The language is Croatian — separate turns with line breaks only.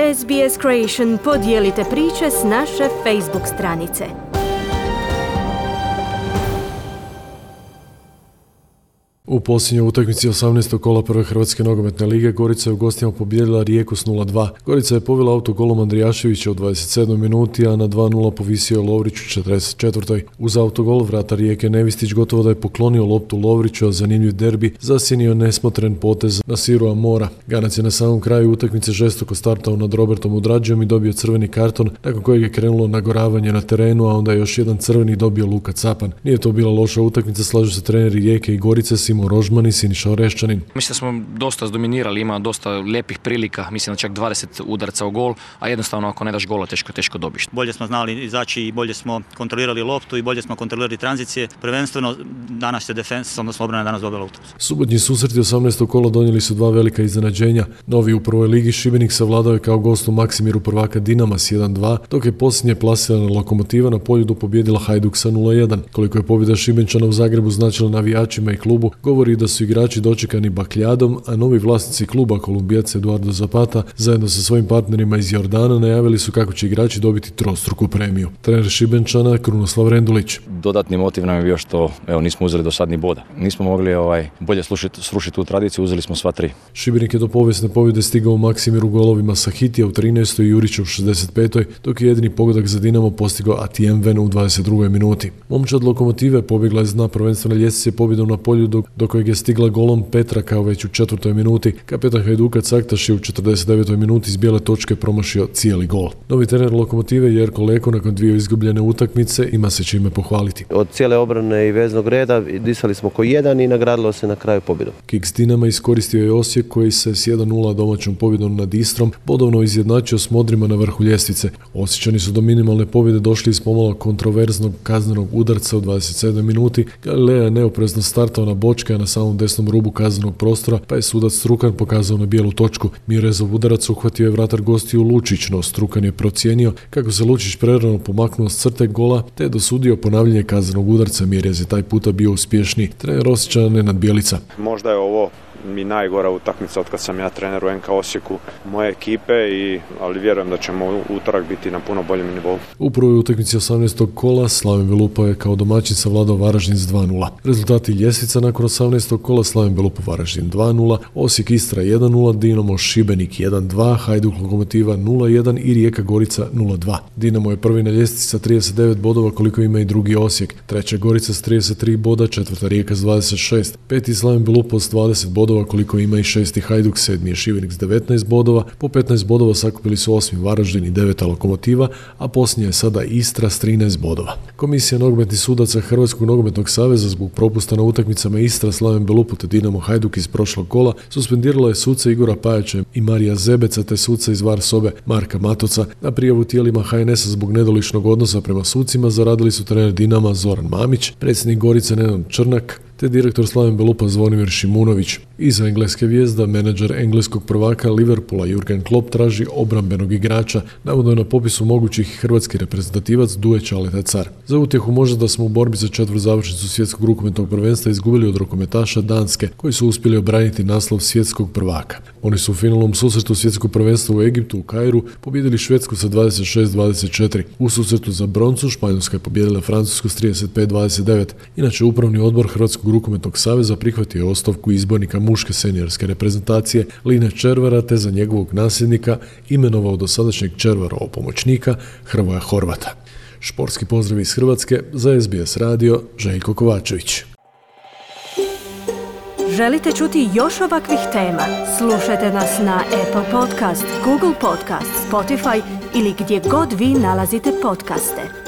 SBS Creation podijelite priče s naše Facebook stranice.
U posljednjoj utakmici 18. kola prve Hrvatske nogometne lige Gorica je u gostima pobijedila Rijeku s 0-2. Gorica je povela autogolom Andrijaševića u 27. minuti, a na 2-0 povisio je Lovrić u 44. Uz autogol vratar Rijeke Nevistić gotovo da je poklonio loptu Lovriću, a zanimljiv derbi zasjenio nesmotren potez na Siru Amora. Ganac je na samom kraju utakmice žestoko startao nad Robertom Udrađijom i dobio crveni karton, nakon kojeg je krenulo nagoravanje na terenu, a onda je još jedan crveni dobio Luka Capan. Nije to bila loša utakmica, slažu se treneri Rijeke i Gorice, Simo Rožman i Siniša Oreščanin.
Mislim da smo dosta dominirali, ima dosta lijepih prilika, mislim da čak 20 udaraca u gol, a jednostavno ako ne daš gola teško dobiš.
Bolje smo znali izaći i bolje smo kontrolirali loptu i bolje smo kontrolirali tranzicije. Prvenstveno danas je defensa, odnosno obrana danas dobila utakmicu.
Subotnji susreti 18. kola donijeli su dva velika iznenađenja. Novi u prvoj ligi Šibenik savladao je kao gost u Maksimiru prvaka Dinama s 1-2, dok je posljednje plasirana Lokomotiva na Poljudu pobijedila Hajduk sa 0-1. Koliko je pobjeda Šibenčana u Zagrebu značila navijačima i klubu, govori da su igrači dočekani bakljadom, a novi vlasnici kluba, Kolumbijac Eduardo Zapata, zajedno sa svojim partnerima iz Jordana najavili su kako će igrači dobiti trostruku premiju. Trener Šibenčana Krunoslav Rendulić.
Dodatni motiv nam je bio što nismo uzeli do sad ni boda. Nismo mogli bolje srušiti tu tradiciju, uzeli smo sva tri.
Šibenik je do povijesne pobjede stigao u Maksimiru golovima Sahitija u 13. i Jurića u 65. dok je jedini pogodak za Dinamo postigao Atijem Ven u 22. minuti. Momčad Lokomotive pobjegla je s dna prvenstvene ljestvice pobjedom na Poljudu, do kojeg je stigla golom Petra kao već u 4. minuti. Kapetan Hajduka Caktaš je u 49. minuti iz bijele točke promašio cijeli gol. Novi trener Lokomotive Jerko Leko nakon dvije izgubljene utakmice ima se čime pohvaliti.
Od cijele obrane i veznog reda disali smo ko jedan i nagradilo se na kraju pobjedom.
Kiks Dinama iskoristio je Osijek koji se s 1-0 domaćom pobjedom nad Istrom bodovno izjednačio s Modrima na vrhu ljestvice. Osječani su do minimalne pobjede došli iz pomalo kontroverznog kaznenog udarca u 27. minuti. Galilea je neoprezno startao na bočke, a na samom desnom rubu kaznenog prostora, pa je sudac Strukan pokazao na bijelu točku. Mirezov udarac uhvatio je vratar gostiju Lučić, no Strukan je procijenio kako se Lučić prerano pomaknuo s crte gola, te je dosudio ponavljanje kaznenog udarca. Mirez je taj puta bio uspješniji. Trener Osječana Nenad Bjelica.
Možda je ovo mi najgora utakmica od kad sam ja trener u NK Osijeku moje ekipe, ali vjerujem da ćemo u utorak biti na puno boljem nivou. U prvoj utakmici 18. kola Slaven Belupa je kao domaćin savladao Varaždin s 2-0. Rezultati ljestvica nakon 18. kola: Slaven Belupa Varaždin 2-0, Osijek Istra 1-0, Dinamo Šibenik 1-2, Hajduk Lokomotiva 0-1 i Rijeka Gorica 0-2. Dinamo je prvi na ljestvici sa 39 bodova koliko ima i drugi Osijek, treća Gorica s 33 boda, četvrta Rijeka s 26, peti Slaven Belupa s 20 bodova koliko ima i šesti Hajduk, sedmi je Šibenik s 19 bodova, po 15 bodova sakupili su osmi Varaždin i deveta Lokomotiva, a posljednja je sada Istra s 13 bodova. Komisija nogometnih sudaca Hrvatskog nogometnog saveza zbog propusta na utakmicama Istra, Slaven Belupu te Dinamo Hajduk iz prošlog kola suspendirala je suca Igora Pajača i Marija Zebeca te suca iz VAR sobe Marka Matoca. Na prijavu tijelima HNS-a zbog nedoličnog odnosa prema sucima zaradili su trener Dinama Zoran Mamić, predsjednik Gorice Nenad Črnak te direktor Slaven Belupa Zvonimir Šimunović. Iza engleske vijezda, menadžer engleskog prvaka Liverpoola Jurgen Klopp traži obrambenog igrača. Navodno je na popisu mogućih hrvatski reprezentativac Duje Čaleta Car. Za utjehu možda da smo u borbi za četvrtu završnicu svjetskog rukometnog prvenstva izgubili od rukometaša Danske, koji su uspjeli obraniti naslov svjetskog prvaka. Oni su u finalnom susretu svjetskog prvenstva u Egiptu u Kairu pobijedili Švedsku sa 26-24. U susretu za broncu Španjolska je pobijedila Francusku s 35-29. Inače, upravni odbor Hrvatskog rukometnog saveza prihvatio je ostavku izbornika muške seniorske reprezentacije Line Červara te za njegovog nasljednika imenovao dosadašnjeg Červarova pomoćnika Hrvoja Horvata. Športski pozdrav iz Hrvatske za SBS radio, Željko Kovačević.
Želite čuti još ovakvih tema? Slušajte nas na Apple Podcast, Google Podcast, Spotify ili gdje god vi nalazite podcaste.